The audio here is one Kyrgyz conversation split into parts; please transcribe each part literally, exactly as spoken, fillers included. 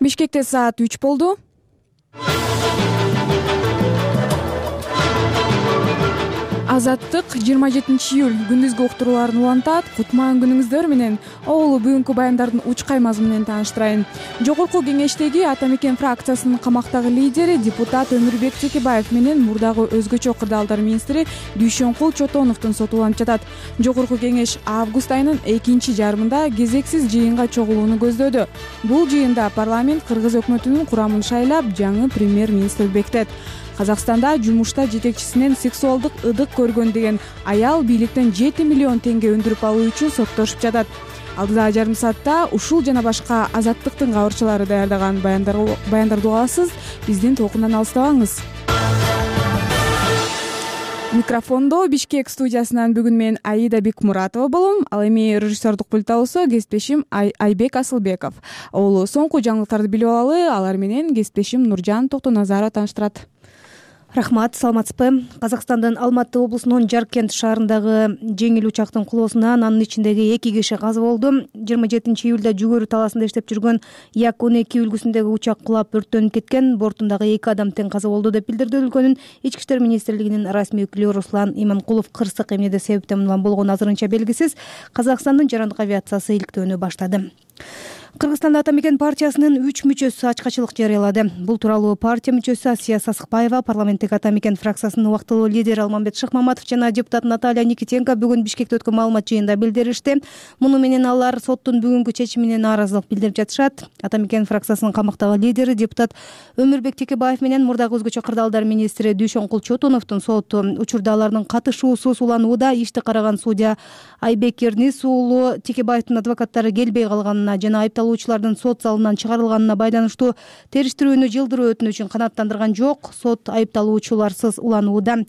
Бишкекте саат үч болду. Азаттык жыйырма жетинчи июль күндүзгү уктурууларын улантат. Кутман күнүңүздөр менен. Оолу бүгүнкү баяндардын учкай мазмуну менен тааныштырайын. Жогорку кеңештеги Ата мекен фракциясынын камактагы лидери депутат Өмүрбек Текебаев менен мурдагы өзгөчө кырдаалдар министри Дүйшөнкул Чотоновдун соту уланып жатат. Жогорку кеңеш август айынын экинчи жарымында кезексиз жыйынга чогулууну көздөдү. Бул жыйында парламент Кыргыз өкмөтүнүн курамын шайлап, жаңы премьер-министр бекитет. Казакстанда жумушта жетекчисинен сексуалдык ыдык көргөн деген аял бийликтен жети миллион теңге өндүрүп алуу үчүн соттошуп жатат. Алдыдагы жарым саатта ушул жана башка Азаттыктын кабарчылары даярдаган баяндарды угасыз. Биздин толкундан алыстабаңыз. Микрофондо Бишкек студиясынан бүгүн мен Аида Бекмуратова болом. Ал эми режиссердук пульт алуусу кесиптешим Айбек Асылбеков. Оолу соңку жаңылыктарды билип алалы. Алар менен кесиптешим Нуржан Токтоназарова тааныштырат. Рахмат, саламатсызбы? Казакстандын Алматы облусунун Жаркент шаарындагы жеңил учактын кулоосунан анын ичиндеги эки киши каза болду. жыйырма жетинчи июлда Жүгөрү талаасында иштеп жүргөн Як он эки үлгүсүндөгү учак кулап өрттөнүп кеткен. Бортундагы эки адам тең каза болду деп билдирди өлкөнүн Ички иштер министрлигинин расмий өкүлү Руслан Иманкулов. Кырсык эмнеде себептен улам болгону азырынча белгисиз. Казакстандын жарандык авиациясы иликтөөнү баштады. Кыргызстанда Ата мекен партиясынын үч мүчөсү ачкачылык жарыялады. Бул тууралуу партия мүчөсү Асия Сасыкбаева, парламенттик Ата мекен фракциясынын убактылуу лидери Алмамбет Шыкмаматов жана депутат Наталья Никитенко бүгүн Бишкекте өткөн маалымат жыйынында билдиришти. Муну менен алар соттун бүгүнкү чечимине нааразылык билдирип жатышат. Ата мекен фракциясынын камактагы лидери депутат Өмүрбек Текебаев менен мурдагы өзгөчө кырдаалдар министри Дүйшөнкул Чотоновдун соту учурда алардын катышуусуз уланууда. Ишти караган судья Айбек Эрнис уулу Текебаевдин адвокаттары келбей калганына жана айыпталуучулардын сот залынан чыгарылганына байланыштуу териштирүүнү жылдыруу өтүнүчүн канааттандырган жок. Сот айыпталуучуларсыз уланууда.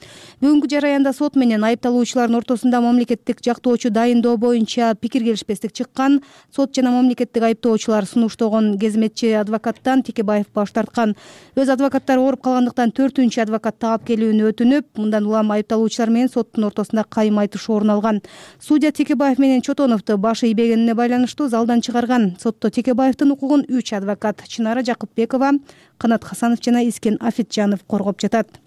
Бүгүнкү жараянда сот менен айыпталуучулардын ортосунда мамлекеттик жактоочу дайындоо боюнча пикир келишпестик чыккан. Сот жана мамлекеттик айыптоочулар сунуштогон кезметчи адвокаттан Текебаев баш тарткан. Өз адвокаттары ооруп калгандыктан төртүнчү адвокат таап келүүнү өтүнүп, мындан улам айыпталуучулар менен соттун ортосунда кайым айтышуу орун алган. Судья Текебаев менен Чотоновду башы ийбегенине байланыштуу залдан чыгарган. Сотто Текебаевдин укугун үч адвокат Чынара Жакыпбекова, Канат Хасанов жана Искен Афитжанов коргоп жатат.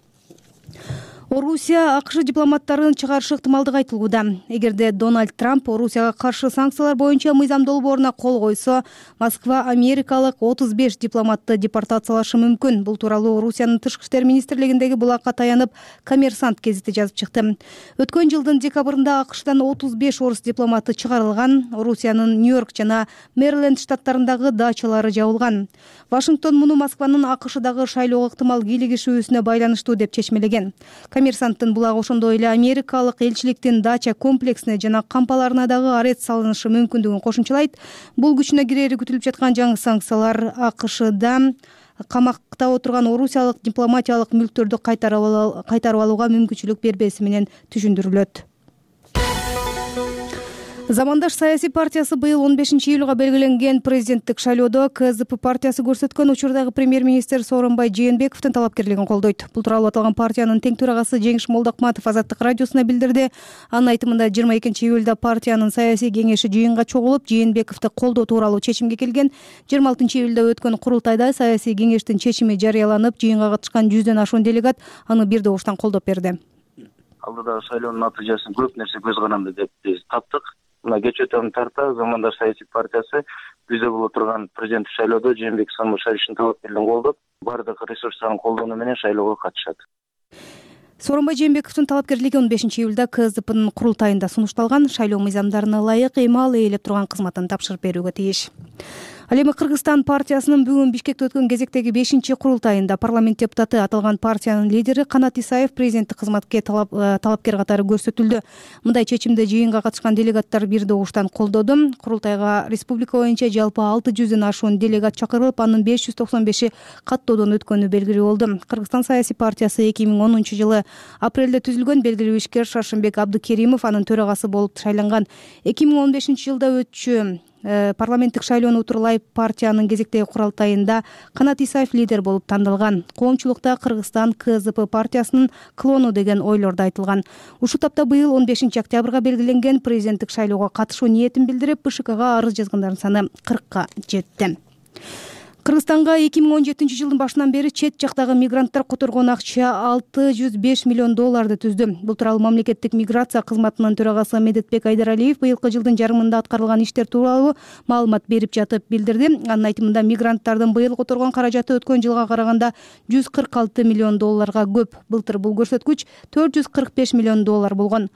Орусия АКШ дипломаттарын чыгарышы ыктымалдыгы айтылууда. Эгерде Дональд Трамп Орусияга каршы санкциялар боюнча мыйзам долбооруна кол койсо, Москва америкалык отуз беш дипломатты депортациялашы мүмкүн. Бул тууралуу Орусиянын тышкы иштер министрлигиндеги булакка таянып, Коммерсант гезити жазып чыкты. Өткөн жылдын декабрында АКШдан отуз беш орус дипломаты чыгарылган. Орусиянын Нью-Йорк жана Мэриленд штаттарындагы дачалары жабылган. Вашингтон муну Москванын АКШдагы шайлоого ыктымал кийлигишүүсүнө байланыштуу деп чечмелеген. Коммерсанттын булагы ошондой эле америкалык элчиликтин дача комплексине жана кампаларына дагы арест салынышы мүмкүндүгүн кошумчалайт. Бул күчүнө кирери күтүлүп жаткан жаңы санкциялар АКШда камакта отурган орусиялык дипломатиялык мүлктөрдү кайтарып алууга мүмкүнчүлүк бербеси менен түшүндүрүлөт. Замандаш саясий партиясы быйыл он бешинчи июлга белгиленген президенттик шайлоодо КЗП партиясы көрсөткөн учурдагы премьер-министр Сооронбай Жээнбековдун талапкерлигин колдойт. Бул тууралуу аталган партиянын тең төрагасы Жеңиш Молдокматов Азаттык радиосуна билдирди. Анын айтымында жыйырма экинчи июлда партиянын саясий кеңеши жыйынга чогулуп, Жээнбековду колдоо тууралуу чечимге келген. жыйырма алтынчы июлда өткөн курултайда саясий кеңештин чечими жарыяланып, жыйынга катышкан жүздөн ашуун делегат аны бир добуштан колдоп берди. Алдыдагы шайлоонун натыйжасын көп нерсе көз каранды деп биз таптык. Мына кечээ өтөн тарта Замандаш саясий партиясы бизде боло турган президенттик шайлоодо Жээнбеков Сооронбай талапкерлигин колдоп, бардык ресурстарын колдонуу менен шайлоого катышат. Сооронбай Жээнбековдун талапкерлиги он бешинчи июлда КЗПнын курултайында сунушталган. Шайлоо мыйзамдарына ылайык эми ээлеп турган кызматын тапшырып берүүгө тийиш. Ал эми Кыргызстан партиясынын бүгүн Бишкекте өткөн кезектеги бешинчи курултайында парламент депутаты аталган партиянын лидери Канат Исаев президенттик кызматке талап, талапкер катары көрсөтүлдү. Мындай чечимди жыйынга катышкан делегаттар бир добуштан колдоду. Курултайга республика боюнча жалпы алты жүздөн ашуун делегат чакырылып, анын беш жүз токсон беши каттоодон өткөнү белгилүү болду. Кыргызстан саясий партиясы эки миң онунчу жылы апрелде түзүлгөн. Белгилүү ишкер Шаршымбек Абдыкеримов анын төрагасы болуп шайланган. эки миң он бешинчи жылда өтчү парламенттик шайлоону утурлай партиянын кезектеги курултайында Канат Исаев лидер болуп тандалган. Коомчулукта Кыргызстан КЗП партиясынын клону деген ойлор да айтылган. Ушул тапта быйыл он бешинчи октябрга белгиленген президенттик шайлоого катышуу ниетин билдирип, БШКга арыз жазгандардын саны кыркка жетти. Кыргызстанга эки миң он жетинчи жылдын башынан бери чет жактагы мигранттар которгон акча алты жүз беш миллион долларды түздү. Бул тууралуу мамлекеттик миграция кызматынын төрагасы Медетбек Айдаралиев быйылкы жылдын жарымында аткарылган иштер тууралуу маалымат берип жатып билдирди. Анын айтымында мигранттардын быйыл которгон каражаты өткөн жылга караганда жүз кырк алты миллион долларга көп. Былтыр бул көрсөткүч төрт жүз кырк беш миллион доллар болгон.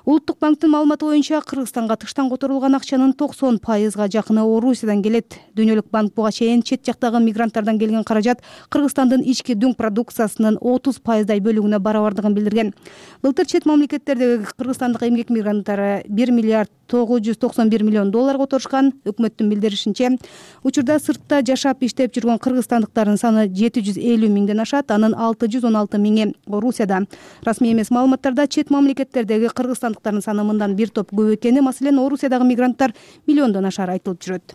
Улуттук банктын маалыматы боюнча Кыргызстанга тыштан которулган акчанын токсон пайызга жакыны Орусиядан келет. Дүйнөлүк банк буга чейин чет жактагы мигранттардан келген каражат Кыргызстандын ички дүң продукциясынын отуз пайыздай бөлүгүнө барабардыгын билдирген. Былтыр чет мамлекеттердеги кыргызстандык эмгек мигранттары бир миллиард тогуз жүз токсон бир миллион доллар которушкан. Өкмөттүн билдиришинче, учурда сыртта жашап иштеп жүргөн кыргызстандыктардын саны жети жүз элүү миңден ашат, анын алты жүз он алты миңи Орусияда. Расмий эмес маалыматтарда чет мамлекеттердеги кыргызстандыктардын саны мындан бир топ көп экени, маселен, Орусиядагы мигранттар миллиондон ашары айтылып жүрөт.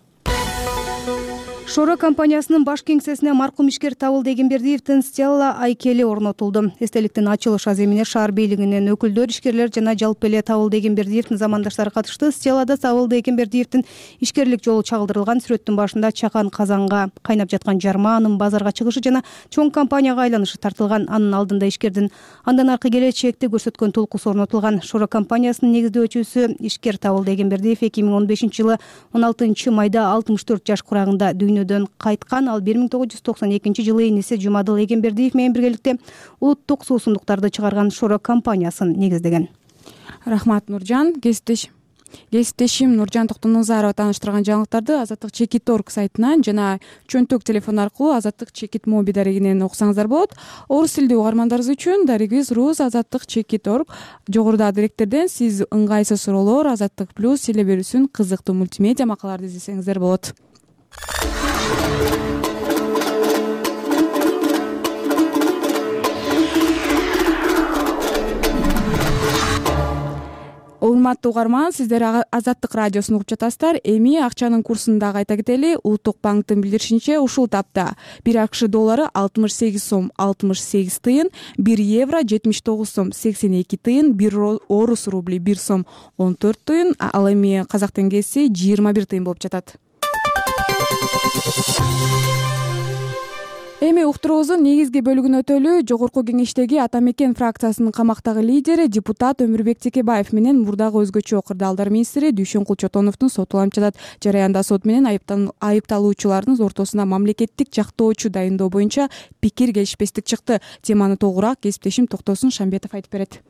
Шора компаниясынын баш кеңсесине маркум ишкер Табылды Эгембердиевдин стела айкели орнотулду. Эстеликтин ачылыш аземине шаар бийлигинин өкүлдөр, ишкерлер жана жалпы эле Табылды Эгембердиевдин замандаштары катышты. Стелада Табылды Эгембердиевдин ишкерлик жолу чагылдырылган. Сүрөттүн башында чакан казанга кайнап жаткан жарма, анын базарга чыгышы жана чоң компанияга айланышы тартылган. Анын алдында ишкердин андан аркы келечекти көрсөткөн толкусу орнотулган. Шора компаниясынын негиздөөчүсү ишкер Табылды Эгембердиев эки миң он бешинчи жылы он алтынчы майда алтымыш төрт жаш курагында дүйнөдөн кайткан. Ал бир миң тогуз жүз токсон экинчи жылы иниси Жумадыл Эгембердиев менен биргеликте улуттук суусундуктарды чыгарган Шора компаниясын негиздеген. Рахмат, Нуржан. Кесиптеш Кесиптешим Нуржан Токтоназарова тааныштырган жаңылыктарды Азаттык Чекит точка орг сайтынан жана чөнтөк телефон аркылуу Азаттык Чекит моби дарегинен окусаңыздар болот. Орус тилдүү угармандарыбыз үчүн дарегибиз Рус Азаттык Чекит точка орг. Жогоруда директерден сиз ыңгайсыз суроолор, Азаттык плюс силе берүүсүн кызыктуу мультимедиа макалаларды издесеңиздер болот. Урматтуу угарман, сиздер Азаттык радиосун угуп жатасыздар. Эми акчанын курсун дагы айта кетели. Улуттук банктын билдиришинче, ушул тапта бир АКШ доллары алтымыш сегиз сом алтымыш сегиз тыйын, бир евро жетимиш тогуз сом сексен эки тыйын, бир орус рубли бир сом он төрт тыйын, ал эми казак теңгеси жыйырма бир тыйын болуп жатат. Эми уктуруубуздун негизги бөлүгүн өтөлү. Жогорку кеңештеги Ата Мекен фракциясынын камактагы лидери депутат Өмүрбек Текебаев менен мурдагы өзгөчө кырдаалдар министри Дүйшөнкул Чотоновдун сотуланып жатат. Жараянда сот менен айыпталуучулардын ортосуна мамлекеттик жактоочу дайындоо боюнча пикир келишпестик чыкты. Теманы толугураак кесиптешим Токтосун Шамбетов айтып берет.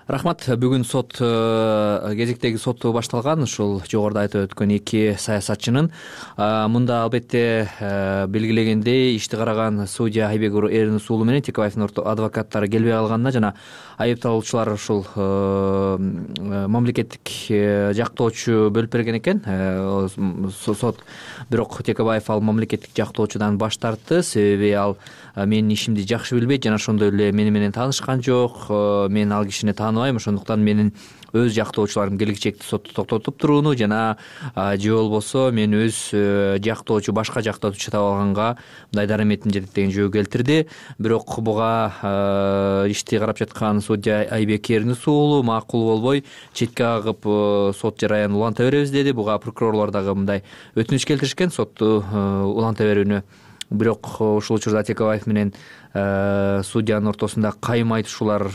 Рахмат. Бүгүн сот кезектеги сот башталган. Ушул жогоруда айтып өткөн эки саясатчынын. Мында албетте белгилегендей ишти караган судья Айбек Эрнис уулу менен Текебаевдин адвокаттары келбей калганына жана айыпталуучулар ушул мамлекеттик жактоочу бөлүп берген экен. Сот бирок Текебаев ал мамлекеттик жактоочудан баш тартты. Себеби ал менин ишимди жакшы билбейт жана ошондой эле мени менен таанышкан жок. Мен ал кишини тааныбайм, ошондуктан менин өз жактоочуларым келечекте сотто токтотуп турууну жана же болбосо мен өз жактоочу башка жактоочу таап алганга мындай дараметим жетет деген жөө келтирди. Бирок буга ишти карап жаткан судья Айбек Эрнис уулу макул болбой четке агып сот жараянын уланта беребиз деди. Буга прокурорлор дагы мындай өтүнүч келтиришкен сотту уланта берүүнү. Бирок ушул учурда Текебаев менен судьянын ортосунда кайым айтышуулар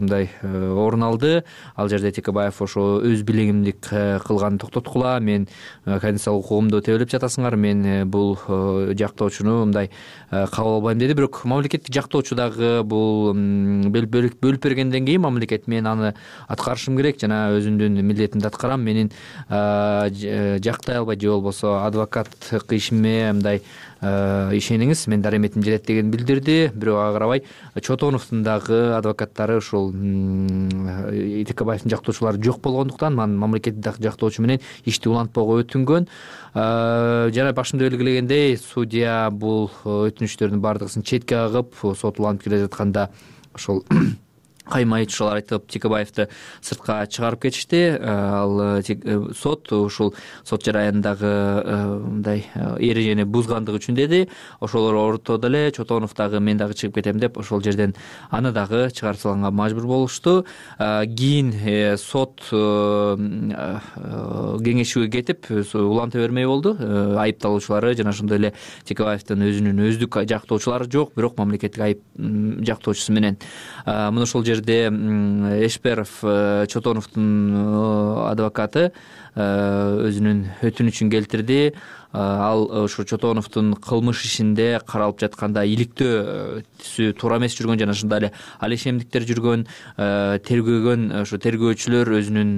мындай орун алды. Ал жерде Текебаев ошо өз билигимди кылганды токтоткула, мен конституциялык укугумду тебелеп жатасыңар, мен бул жактоочуну мындай кабыл албайм деди. Бирок мамлекеттик жактоочу дагы бул бөлүп бергенден кийин мамлекет мен аны аткарышым керек жана өзүмдүн милдетимди аткарам, менин жактай албайт же болбосо адвокаттык ишиме мындай ишениңиз, мен дараметим жетет деген билдирди. Бирок ага карабай Чотоновдун дагы адвокаттары ушул Текебаевдин жактоочулары жок болгондуктан мамлекеттик жактоочу менен ишти улантпоого өтүнгөн. Жана башында белгилегендей судья бул өтүнүчтөрдүн бардыгысын четке агып, сот уланып келе жатканда ошол кайма айтышуулар айтып Текебаевди сыртка чыгарып кетишти. Ал сот ушул сот жараянындагы мындай эрежени бузгандыгы үчүн деди. Ошолор ортодо эле Чотонов дагы мен дагы чыгып кетем деп ошол жерден аны дагы чыгарып салганга мажбур болушту. Кийин сот кеңешүүгө кетип уланта бермей болду. Айыпталуучулары жана ошондой эле Текебаевдин өзүнүн өздүк жактоочулары жок, бирок мамлекеттик айып жактоочусу менен мына ошол жерде Эшперов Чотоновдун адвокаты өзүнүн өтүнүчүн келтирди. Ал ошо Чотоновдун кылмыш ишинде каралып жатканда иликтөө түсү туура эмес жүргөн жана ошондой эле ал ишемдиктер жүргөн, тергөөгөн ошо тергөөчүлөр өзүнүн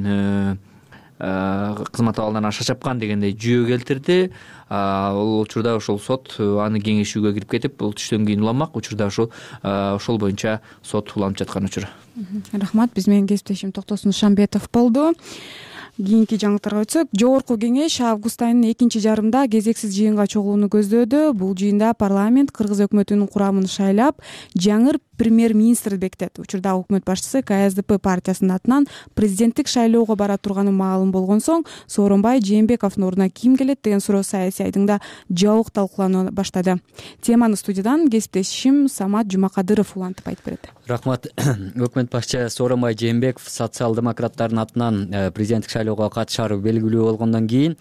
кызмат абалынан аша чапкан дегендей жүйө келтирди. Ал учурда ошол сот аны кеңешүүгө кирип кетип, бул түштөн кийин уламак. Учурда ошол ошол боюнча сот уланып жаткан учур. Рахмат. Биз менен кесиптешим Токтосун Шамбетов болду. Кийинки жаңылыктарга өтсөк, жогорку кеңеш август айынын экинчи жарымында кезексиз жыйынга чогулууну көздөөдү. Бул жыйында парламент кыргыз өкмөтүнүн курамын шайлап, жаңы премьер-министр бекитет. Учурда өкмөт башчысы Ка Эс Ди Пи партиясынын атынан президенттик шайлоого бара турганы маалым болгон соң, Сооронбай Жээнбековдун ордуна ким келет деген суроо саясий айдыңда жабык талкуулана баштады. Теманы студиядан кесиптешим Самат Жумакадыров улантып айтып берет. Рахмат. Өкмөт башчы Сооронбай Жээнбеков социал-демократтардын атынан президенттик шайлоого катышары белгилүү болгондон кийин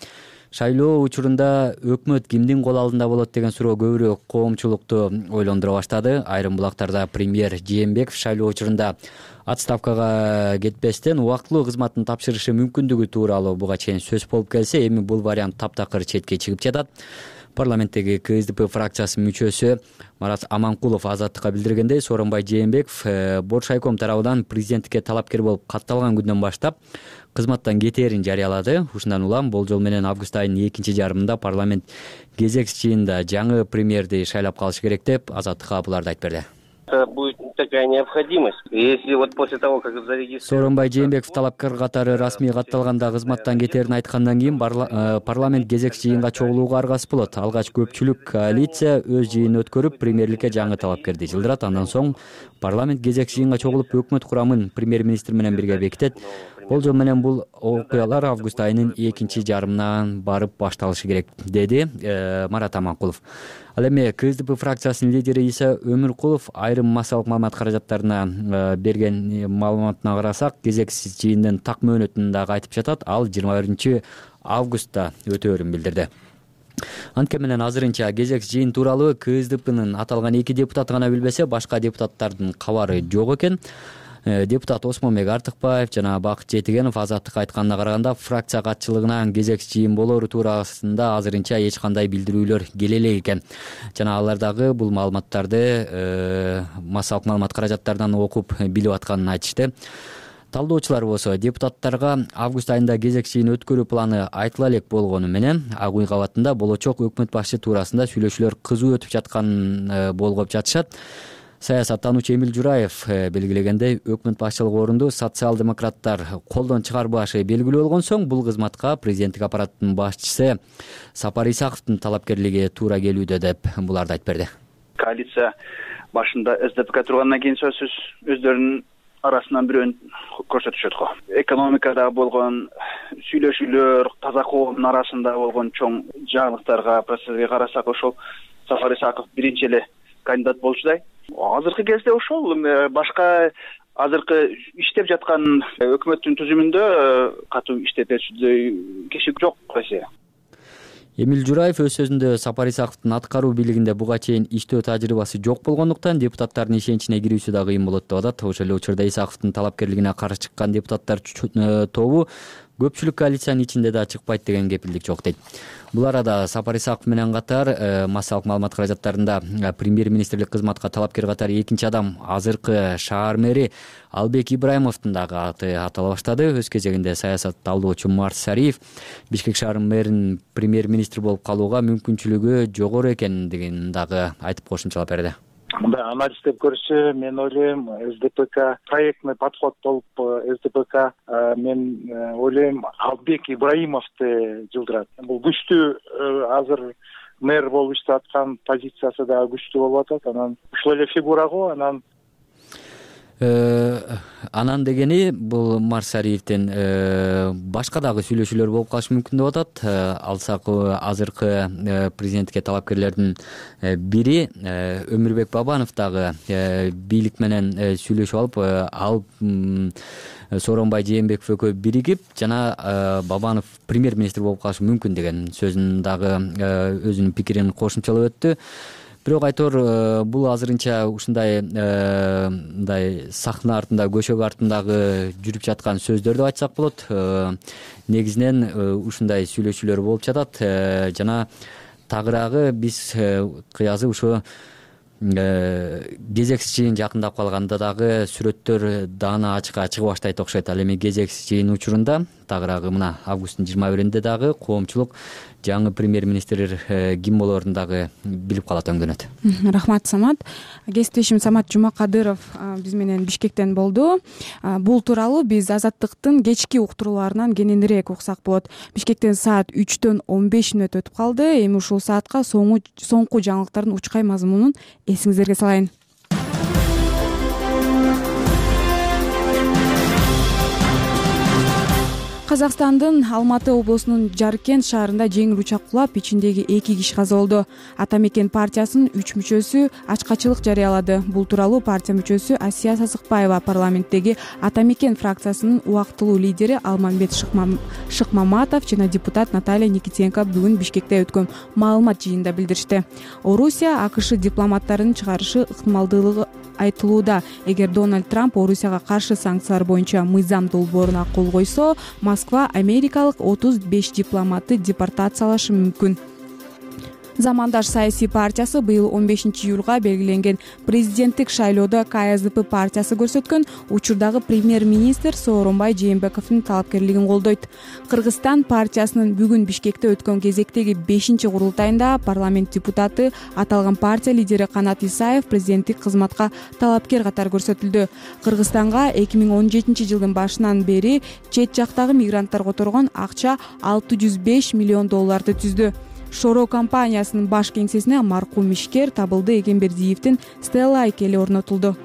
шайлоо учурунда өкмөт кимдин кол алдында болот деген суроо көбүрөөк коомчулукту ойлондура баштады. Айрым булактарда премьер Жээнбеков шайлоо учурунда отставкага кетпестен убактылуу кызматын тапшырышы мүмкүндүгү тууралуу буга чейин сөз болуп келсе, эми бул вариант таптакыр четке чыгып жатат. Парламенттеги Ка Эс Ди Пи фракциясынын мүчөсү Марат Аманкулов азаттыкка билдиргендей, Сооронбай Жээнбеков Боршайком тарабынан президенттикке талапкер болуп катталган күндөн баштап кызматтан кетээрин жарыялады. Ушундан улам болжол менен август айынын экинчи жарымында парламент кезекси жыйында жаңы премьерди шайлап калыш керек деп азаттыкка буларды айтып берди. Будет такая необходимость. Если вот после того, как зарегистрировать... Сооронбай Жээнбеков талапкер катары расмий катталганда кызматтан кетээрин айткандан кийин парламент кезекси жыйынга чогулууга аргасыз болот. Алгач көпчүлүк коалиция өз жыйынын өткөрүп премьерликке жаңы талапкерди жылдырат. Андан соң парламент кезекси жыйынга чогулуп өкмөт курамын премьер-министр менен бирге бекитет. Болжол менен бул окуялар август айынын экинчи жарымынан барып башталышы керек, деди Марат Аманкулов. Ал эми Ка Эс Ди Пи фракциясынын лидери Иса Өмүркулов айрым массалык маалымат каражаттарына берген маалыматына карасак, кезексиз жыйындын так мөөнөтүн дагы айтып жатат. Ал жыйырма биринчи августта өтөөрүн билдирди. Анткени менен азырынча кезекси жыйын тууралуу Ка Эс Ди Пинин аталган эки депутаты гана билбесе, башка депутаттардын кабары жок экен. Депутат Осмонбек Артыкбаев жана Бакыт Жетигенов азаттыкка айтканына караганда, фракция катчылыгынан кезекси жыйын болоору туурасында азырынча эч кандай билдирүүлөр келе элек экен. Жана алар дагы бул маалыматтарды массалык маалымат каражаттарынан окуп билип атканын айтышты. Талдоочулар болсо депутаттарга август айында кезекси жыйын өткөрүү планы айтыла элек болгону менен, Ак үй кабатында болочок өкмөт башчы туурасында сүйлөшүүлөр кызуу өтүп жатканын болгоп жатышат. Саясаттануучу Эмил Жураев белгилегендей, өкмөт башчылык орунду социал-демократтар колдон чыгарбашы белгилүү болгон соң, бул кызматка президенттик аппараттын башчысы Сапар Исаковдун талапкерлиги туура келүүдө деп буларды айтып берди. Коалиция башында Эс Ди Пи тургандан кийин сөзсүз өздөрүнүн арасынан бирөөн көрсөтүшөт го. Экономикада болгон сүйлөшүүлөр, таза коомдун арасында болгон чоң жаңылыктарга, процесстерге карасак, ошол Сапар Исаков биринчи эле кандидат болчудай. Азыркы кезде ошол башка азыркы иштеп жаткан өкмөттүн түзүмүндө катуу иштетүүчүдөй киши жок эсе. Эмил Жураев өз сөзүндө Сапар Исаковдун аткаруу бийлигинде буга чейин иштөө тажрыйбасы жок болгондуктан депутаттардын ишеничине кирүүсү дагы кыйын болот деп атат. Ошол эле учурда Исаковдун талапкерлигине каршы чыккан депутаттар тобу көпчүлүк коалициянын ичинде да чыкпайт деген кепилдик жок дейт. Бул арада Сапар Исаков менен катар массалык маалымат каражаттарында премьер-министрлик кызматка талапкер катары экинчи адам азыркы шаар мэри Албек Ибраимовдун дагы аты атала баштады. Өз кезегинде саясат талдоочу Марс Сариев Бишкек шаарынын мэринин премьер-министр болуп калууга мүмкүнчүлүгү жогору экендигин дагы айтып кошумчалап берди. Мындай анализдеп көрсө, мен ойлойм, Эс Ди Пи Ка проектный подход болуп Эс Ди Пи Ка мен ойлойм Албек Ибраимовду жылдырат. Бул күчтүү азыр мэр болуп иштеп аткан позициясы да күчтүү болуп атат. Анан ушул эле фигура го, анан Анан дегени бул Марсариевден башка дагы сүйлөшүүлөр болуп калышы мүмкүн деп атат. Алсак азыркы президентке талапкерлердин бири Өмүрбек Бабанов дагы бийлик менен сүйлөшүп алып, ал Сооронбай Жээнбеков экөө биригип жана Бабанов премьер-министр болуп калышы мүмкүн деген сөзүн дагы өзүнүн пикирин кошумчалап өттү. Бирок айтор бул азырынча ушундай мындай сахна артында, көшөк артындагы жүрүп жаткан сөздөр деп айтсак болот. Негизинен ушундай сүйлөшүүлөр болуп жатат жана тагыраагы биз кыязы ушу кезексиз жыйын жакындап калганда дагы сүрөттөр даана ачыкка чыга баштайт окшойт. Ал эми кезексиз жыйын учурунда тагыраагы мына августтун жыйырма биринде дагы коомчулук жаңы премьер-министр ким болоорун дагы билип калат, өңдөнөт. Рахмат, Самат. Кесиптешим Самат Жумакадыров биз менен Бишкектен болду. Бул тууралуу биз Азаттыктын кечки уктурууларынан кененирээк уксак болот. Бишкектен саат үчтөн он беш мүнөт өтүп калды. Эми ушул саатка соңку жаңылыктардын учкай мазмунун эсиңиздерге салайын. Казакстандын Алматы облусунун Жаркент шаарында жеңил учак кулап, ичиндеги эки киши каза болду. Ата мекен партиясынын үч мүчөсү ачкачылык жарыялады. Бул тууралуу партия мүчөсү Асия Сасыкбаева парламенттеги Ата мекен фракциясынын убактылуу лидери Алмамбет Шыкмаматов жана депутат Наталья Никитенко бүгүн Бишкекте өткөн маалымат жыйынында билдиришти. Орусия АКШ дипломаттарынын чыгарышы ыктымалдуулугу айтылууда. Эгер Дональд Трамп Орусияга каршы санкциялар боюнча мыйзам долбооруна кол койсо, Москва америкалык отуз беш дипломатты депортациялашы мүмкүн. Замандаш саясий партиясы быйыл он бешинчи июлга белгиленген президенттик шайлоодо К С Д П партиясы көрсөткөн учурдагы премьер-министр Сооронбай Жээнбековдун талапкерлигин колдойт. Кыргызстан партиясынын бүгүн Бишкекте өткөн кезектеги бешинчи курултайында парламент депутаты аталган партия лидери Канат Исаев президенттик кызматка талапкер катары көрсөтүлдү. Кыргызстанга эки миң он жетинчи жылдын башынан бери чет жактагы мигранттар которгон акча алты жүз беш миллион долларды түздү. Шоро компаниясынын баш кеңсесине маркум ишкер Табылды Эгембердиевдин Стелла айкели орнотулду.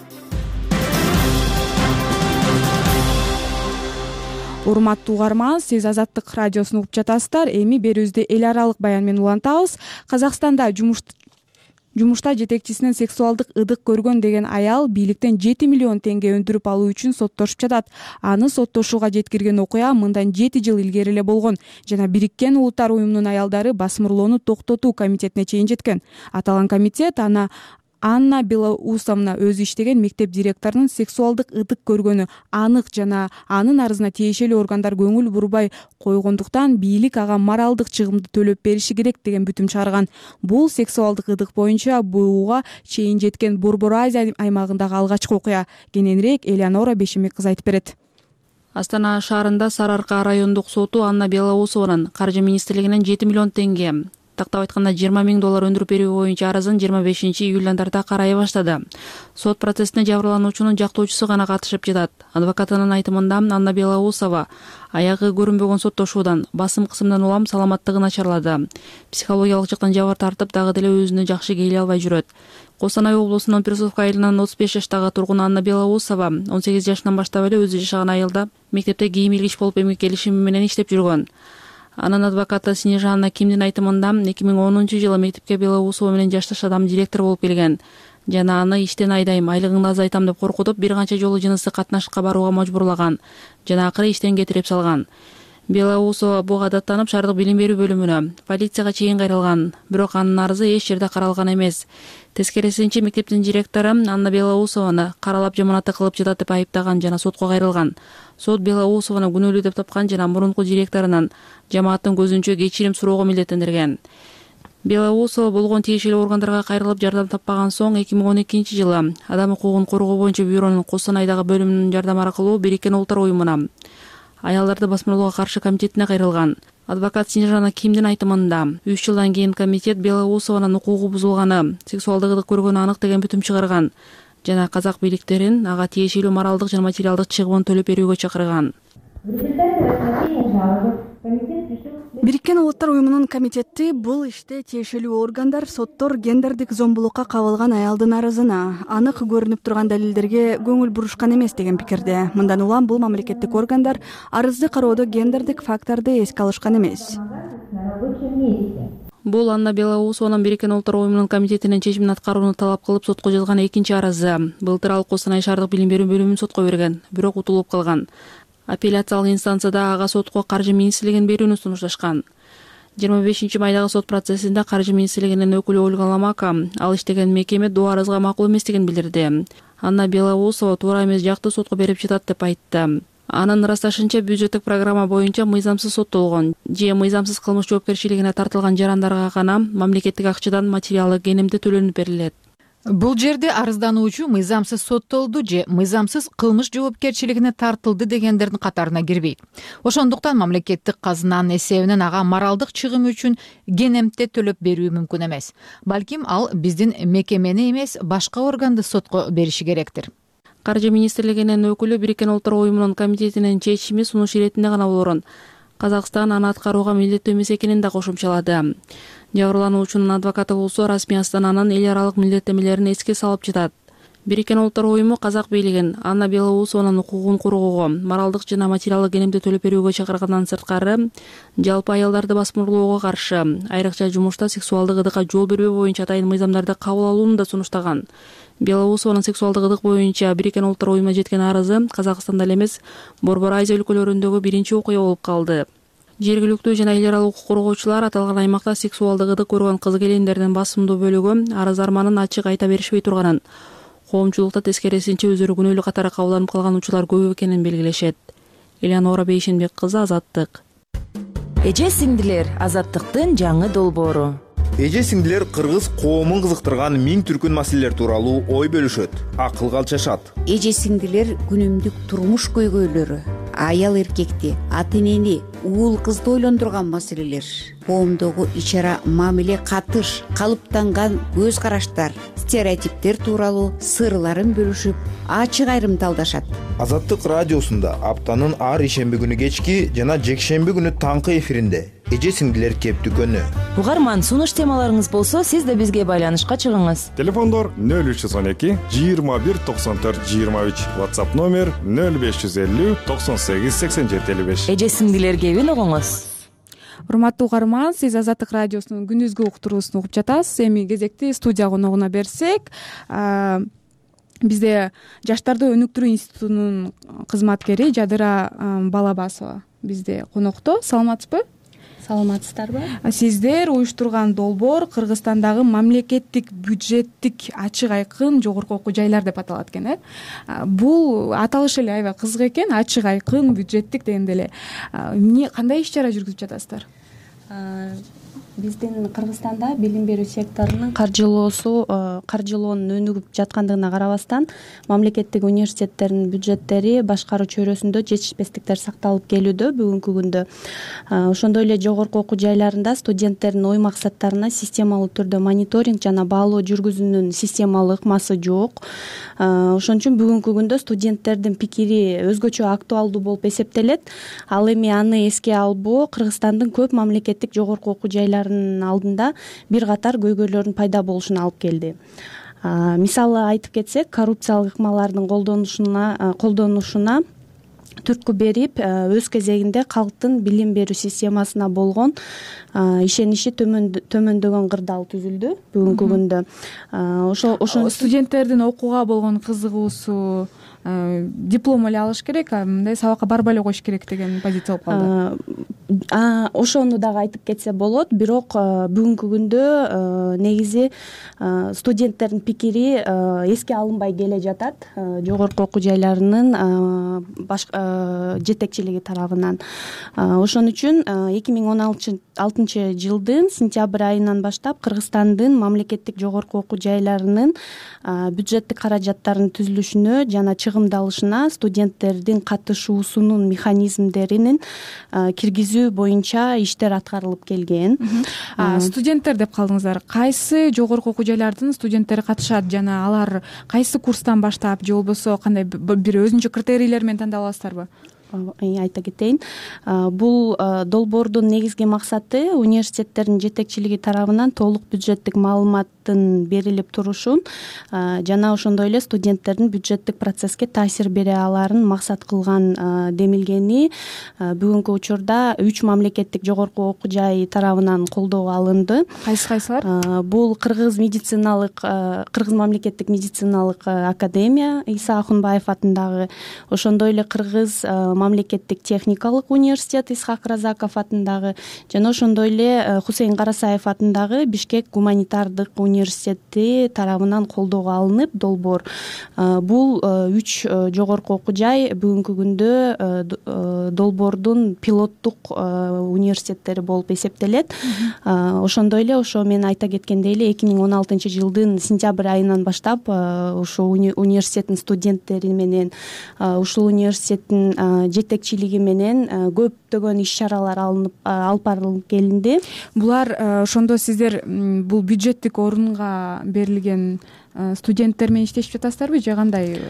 Урматтуу угарман, сиз Азаттык радиосун угуп жатасыздар. Эми берүүбүздү эл аралык баян менен улантабыз. Казакстанда жумуш Жумушта жетекчисинен сексуалдык ыдык көргөн деген аял бийликтен жети миллион теңге өндүрүп алуу үчүн соттошуп жатат. Аны соттошууга жеткирген окуя мындан жети жыл илгери эле болгон жана Бириккен Улуттар уюмунун аялдары басымырлоону токтотуу комитетине чейин жеткен. Аталган комитет аны Анна Белоусовна өзү иштеген мектеп директорунун сексуалдык ыдык көргөнү анык жана анын арызына тиешелүү органдар көңүл бурбай койгондуктан бийлик ага моралдык чыгымды төлөп бериши керек деген бүтүм чыгарган. Бул сексуалдык ыдык боюнча бууга чейин жеткен Борбор Азия аймагындагы алгачкы окуя. Кененирээк Элеонора Бешемек кыз айтып берет. Астана шаарында Сарыарка райондук соту Анна Белоусованын каржы министрлигинен жети миллион теңге, тактап айтканда жыйырма миң доллар өндүрүп берүү боюнча арызын жыйырма бешинчи июлдан тарта карай баштады. Сот процессине жабырлануучунун жактоочусу гана катышып жатат. Адвокатынын айтымында Анна Белоусова аягы көрүнбөгөн соттошуудан, басым кысымдан улам саламаттыгы начарлады. Психологиялык жактан жабыр тартып, дагы деле өзүнө жакшы келе албай жүрөт. Коостанай облусунун Персовка айылынын отуз беш жаштагы тургуну Анна Белоусова он сегиз жашынан баштап эле өзү жашаган айылда мектепте кийим илгич болуп эмгектелишими менен иштеп жүргөн. Анын адвокаты Снежана Кимдин айтымында эки миң онунчу жылы мектепке Белоусова менен жашташ адам директор болуп келген жана аны иштен айдайм, айлыгыңды азайтам деп коркутуп, бир канча жолу жыныстык катнашыкка барууга мажбурлаган жана акыры иштен кетирип салган. Белоусова буга даттанып шаардык билим берүү бөлүмүнө, полицияга чейин кайрылган, бирок анын арызы эч жерде каралган эмес. Тескерисинче мектептин директору Анна Белоусованы каралап жаманатты кылып жатат деп айыптаган жана сотко кайрылган. Сот Белоусованы күнөөлүү деп тапкан жана мурунку директорунан жамааттын көзүнчө кечирим суроого милдеттендирген. Белоусова болгон тиешелүү органдарга кайрылып жардам таппаган соң эки миң он экинчи жылы Адам укугун коргоо боюнча бюронун Коостанайдагы бөлүмүнүн жардам аркылуу Бириккен Улуттар уюмуна аялдарды басмырлоого каршы комитетине кайрылган. Адвокат Снежана Кимдин айтымында үч жылдан кийин комитет Белоусованын укугу бузулганы, сексуалдык ыдык көргөнү анык деген бүтүм чыгарган жана казак бийликтерин ага тиешелүү моралдык жана материалдык чыгымын төлөп берүүгө чакырган. Бириккен Улуттар уюмунун комитети бул иште тиешелүү органдар соттор гендердик зомбулукка кабылган аялдын арызына анык көрүнүп турган далилдерге көңүл бурушкан эмес деген пикирде. Мындан улам бул мамлекеттик органдар арызды кароодо гендердик факторду эске алышкан эмес. Бул Анна Белоусованын Бириккен Улуттар уюмунун комитетинин чечимин аткарууну талап кылып сотко жазган экинчи арызы. Былтыр ал Коостанай шаардык билим берүү бөлүмүн сотко берген, бирок утулуп калган. Апелляциялык инстанцияда ага сотко Каржы министрлигин берүүнү сунушташкан. жыйырма бешинчи майдагы сот процессинде Каржы министрлигинин өкүлү Ольга Ломака ал иштеген мекеме доо арызга макул эместигин билдирди. Анна Белоусова туура эмес жакты сотко берип жатат деп айтты. Анын ырасташынча бюджеттик программа боюнча мыйзамсыз соттолгон же мыйзамсыз кылмыш жоопкерчилигине тартылган жарандарга гана мамлекеттик акчадан материалдык кенемди төлөнүп берилет. Бул жерде арыздануучу мыйзамсыз соттолду же мыйзамсыз кылмыш жоопкерчилигине тартылды дегендердин катарына кирбейт. Ошондуктан мамлекеттик казынанын эсебинен ага моралдык чыгым үчүн кенемте төлөп берүү мүмкүн эмес. Балким ал биздин мекемени эмес, башка органды сотко бериши керектир. Каржы министрлигинин өкүлү Бириккен Улуттар уюмунун комитетинин чечими сунуш иретинде гана болорун. Казакстан аны аткарууга милдеттүү эмес экенин да кошумчалады. Жабырлануучунун адвокаты болсо расмий астананын эл аралык милдеттемелерин эске салып жатат. Бириккен Улуттар уюму казак бийлигин Анна Белоусованын укугун коргоого, моралдык жана материалдык кенемди төлөп берүүгө чакыргандан сырткары, жалпы аялдарды басмырлоого каршы, айрыкча жумушта сексуалдык ыдыкка жол бербөө боюнча атайын мыйзамдарды кабыл алууну да сунуштаган. Белоусованын сексуалдык ыдык боюнча Бириккен Улуттар уюмуна жеткен арызы Казакстанда эле эмес, Борбор Азия өлкөлөрүндөгү биринчи окуя болуп калды. Жергиликтүү жана эл аралык укук коргоочулар аталган аймакта сексуалдык ыдык көргөн кыз-келиндердин басымдуу бөлүгү арыз арманын ачык айта беришпей турганын, коомчулукта тескерисинче өздөрү күнөөлүү катары кабылданып калган учурлар көп экенин белгилешет. Элеонора Бейшенбек кызы, Азаттык. Эже сиңдилер, Азаттыктын жаңы долбоору. Эже сиңдилер кыргыз коомун кызыктырган миң түркүн маселелер тууралуу ой бөлүшөт, акылга алчашат. Эже сиңдилер күнүмдүк турмуш көйгөйлөрү, аял эркекти, ата энени, уул кызды ойлондурган маселелер, коомдогу ич ара мамиле катыш, калыптанган көз караштар, стереотиптер тууралуу сырларын бөлүшүп, ачык айрымталдашат. Азаттык радиосунда аптанын ар ишемби күнү кечки жана жекшемби күнү таңкы эфиринде эже сиңдилер кептүкөнү. Угарман, сунуш темаларыңыз болсо, сиз да бизге байланышка чыгыңыз. Телефондор нөл үч жүз он эки жыйырма бир токсон төрт жыйырма үч, WhatsApp номер нөл беш жүз элүү токсон сегиз сексен жети элүү беш. Эже сиңдилер кебин угуңуз. Урматтуу угарман, сиз Азаттык радиосунун күндүзгү уктуруусун угуп жатасыз. Эми кезекти студия коногуна берсек, бизде Жаштарды өнүктүрүү институтунун кызматкери Жадыра Балабасова бизде конокто. Саламатсызбы? Саламатсыздарбы? Сиздер уюштурган долбоор Кыргызстандагы мамлекеттик бюджеттик ачык айкын жогорку окуу жайлар деп аталат экен, э? Бул аталыш эле аябай кызык экен, ачык айкын бюджеттик дегенде эле. Эмне, кандай иш чара жүргүзүп жатасыздар? Биздин Кыргызстанда билим берүү секторунун каржылоосу, каржылоонун өнүгүп жаткандыгына карабастан, мамлекеттик университеттердин бюджеттери башкаруу чөйрөсүндө жетишпестиктер сакталып келүүдө бүгүнкү күндө. Ошондой эле жогорку окуу жайларында студенттердин ой максаттарына системалуу түрдө мониторинг жана баалоо жүргүзүүнүн системалык ыкмасы жок. Ошон үчүн бүгүнкү күндө студенттердин пикири өзгөчө актуалдуу болуп эсептелет. Ал эми аны эске албоо Кыргызстандын көп мамлекеттик жогорку окуу жайлары алдында бир катар көйгөйлөрдүн пайда болушуна алып келди. Мисалы айтып кетсек, коррупциялык ыкмалардын колдонушуна колдонушуна түрткү берип, өз кезегинде калктын билим берүү системасына болгон ишеничи төмөндөгөн кырдаал түзүлдү бүгүнкү күндө. Ошо ошо студенттердин окууга болгон кызыгуусу, диплом эле алыш керек, мындай сабакка барбай эле коюш керек деген позиция болуп калды. Ошону дагы айтып кетсе болот, бирок бүгүнкү күндө негизи студенттердин пикири эске алынбай келе жатат жогорку окуу жайларынын жетекчилиги тарабынан. Ошон үчүн эки миң он алтынчы жылдын сентябрь айынан баштап Кыргызстандын мамлекеттик жогорку окуу жайларынын бюджеттик каражаттарынын түзүлүшүнө жана чыгымдалышына студенттердин катышуусунун механизмдеринин киргизүү боюнча иштер аткарылып келген. Студенттер деп калдыңыздар. Кайсы жогорку окуу жайлардын студенттери катышат жана алар кайсы курстан баштап же болбосо кандай бир өзүнчө критерийлер менен тандап аласыздарбы? айта кетейин. Бул долбоордун негизги максаты университеттердин жетекчилиги тарабынан толук бюджеттик маалыматтын берилип турушун жана ошондой эле студенттердин бюджеттик процесске таасир бере аларын максат кылган демилгени бүгүнкү учурда үч мамлекеттик жогорку окуу жай тарабынан колдоого алынды. Кайсы кайсылар? Бул Кыргыз медициналык Кыргыз мамлекеттик медициналык академия Иса Акунбаев атындагы, ошондой эле Кыргыз мамлекеттик техникалык университет Исхак Разаков атындагы жана ошондой эле Хусейн Карасаев атындагы Бишкек гуманитардык университети тарабынан колдоого алынып долбоор. Бул үч жогорку окуу жай бүгүнкү күндө долбоордун пилоттук университеттери болуп эсептелет. Ошондой эле ошо мен айта кеткендей эле эки миң он алтынчы жылдын сентябрь айынан баштап ушул университеттин студенттери менен ушул университеттин жетекчилиги менен көптөгөн иш чаралар алынып алып барылып келинди. Булар ошондо сиздер бул бюджеттик орунга берилген студенттер менен иштешип жатасыздарбы же кандай?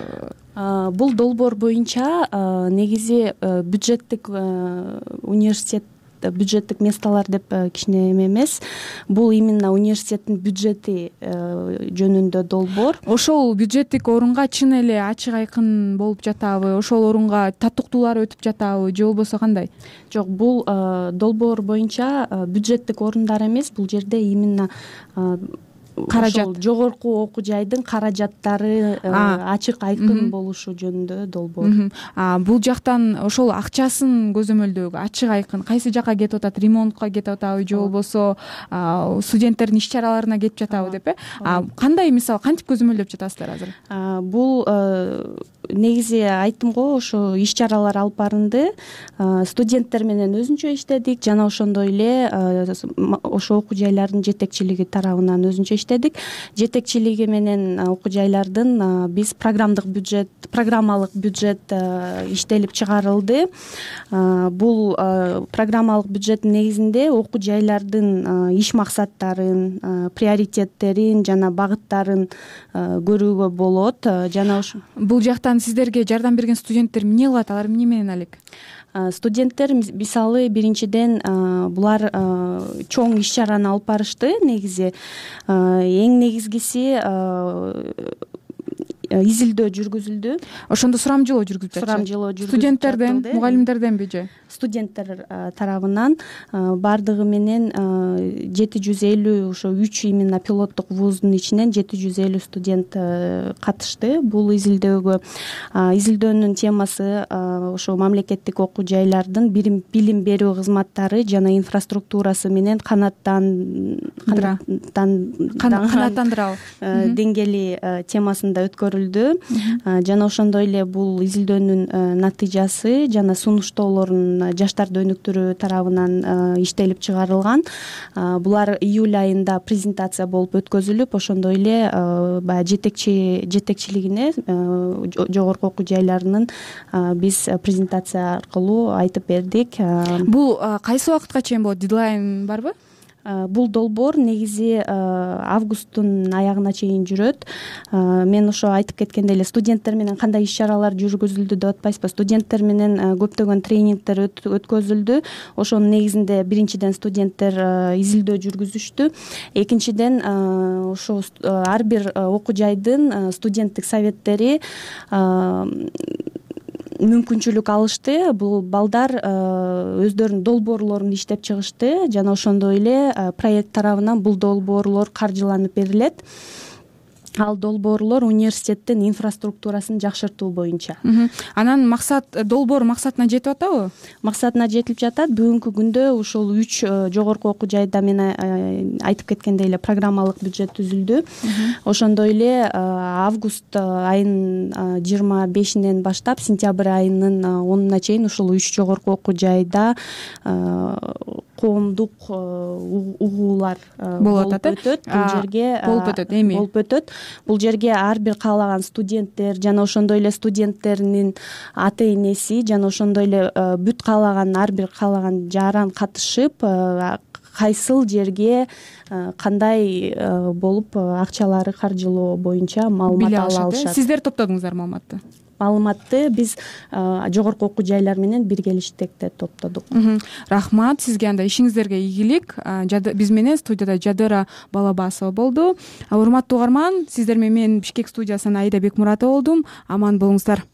Бул долбоор боюнча негизи бюджеттик университет бюджеттик месталар деп кичине эме эмес. Бул именно университеттин бюджети жөнүндө долбоор. Ошол бюджеттик орунга чын эле ачык айкын болуп жатабы? Ошол орунга татыктуулар өтүп жатабы же болбосо кандай? Жок, бул долбоор боюнча бюджеттик орундар эмес. Бул жерде именно каражат, жогорку окуу жайдын каражаттары ачык айкын болушу жөнүндө долбоор. Бул жактан ошол акчасын көзөмөлдөөгө ачык айкын кайсы жака кетип атат? Ремонтко кетип атабы же болбосо студенттердин иш чараларына кетип жатабы деп э? Кандай, мисалы, кантип көзөмөлдөп жатасыздар азыр? Бул негизи айттым го, ошо иш чаралар алып барынды. Студенттер менен өзүнчө иштедик жана ошондой эле ошо окуу жайлардын жетекчилиги тарабынан өзүнчө иштедик. Жетекчилиги менен окуу жайлардын биз программдык бюджет, программалык бюджет иштелип чыгарылды. Бул программалык бюджеттин негизинде окуу жайлардын иш максаттарын, приоритеттерин жана багыттарын көрүүгө болот. Жана ошо бул жактан сиздерге жардам берген студенттер эмне кылат? Алар эмне менен алек? Студенттер мисалы биринчиден булар чоң иш чараны алып барышты. Негизи эң негизгиси изилдөө жүргүзүлдү. Ошондо сурамжылоо жүргүзүлдү. Сурамжылоо жүргүзүлдү. Студенттерден, мугалимдерденби же? Студенттер тарабынан бардыгы менен жети жүз элүү, ошо үч именно пилоттук вуздун ичинен жети жүз элүү студент катышты бул изилдөөгө. Изилдөөнүн темасы ошо мамлекеттик окуу жайлардын билим берүү кызматтары жана инфраструктурасы менен канааттан канааттандырабы деңгээли темасында өткөрүлдү. Жана ошондой эле бул изилдөөнүн натыйжасы жана сунуштоолорун жаштарды өнүктүрүү тарабынан иштелип чыгарылган. Булар июль айында презентация болуп өткөзүлүп, ошондой эле баягы жетекчи жетекчилигине жогорку окуу жайларынын биз презентация аркылуу айтып бердик. Бул кайсы убакытка чейин болот? Дедлайн барбы? Бул долбоор негизи августтун аягына чейин жүрөт. Мен ошо айтып кеткендей эле студенттер менен кандай иш чаралар жүргүзүлдү деп атпайсызбы? Студенттер менен көптөгөн тренингдер өткөзүлдү. Ошонун негизинде биринчиден студенттер изилдөө жүргүзүштү. Экинчиден ошо ар бир окуу жайдын студенттик советтери мүмкүнчүлүк алышты. Бул балдар өздөрүнүн долбоорлорун иштеп чыгышты жана ошондой эле проект тарабынан бул долбоорлор каржыланып берилет. Ал долбоорлор университеттин инфраструктурасын жакшыртуу боюнча. Анан максат, долбоор максатына жетип атабы? Максатына жетип жатат. Бүгүнкү күндө ушул үч жогорку окуу жайда мен айтып кеткендей эле программалык бюджет түзүлдү. Ошондой эле август айынын жыйырма бешинен баштап сентябрь айынын онуна чейин ушул үч жогорку окуу жайда коомдук угуулар болуп өтөт. Бул жерге болуп өтөт, эми болуп өтөт. Бул жерге ар бир каалаган студенттер жана ошондой эле студенттердин ата энеси жана ошондой эле бүт каалаган ар бир каалаган жаран катышып кайсыл жерге кандай болуп акчалары каржылоо боюнча маалымат ала алышат. Сиздер топтодуңуздар маалыматты? маалыматты биз жогорку окуу жайлар менен биргелиштекте топтодук. Рахмат сизге. Анда ишиңиздерге ийгилик. Биз менен студияда Жадыра Балабасова болду. Урматтуу угарман, сиздер менен мен Бишкек студиясынан Аида Бекмуратова болдум. Аман болуңуздар.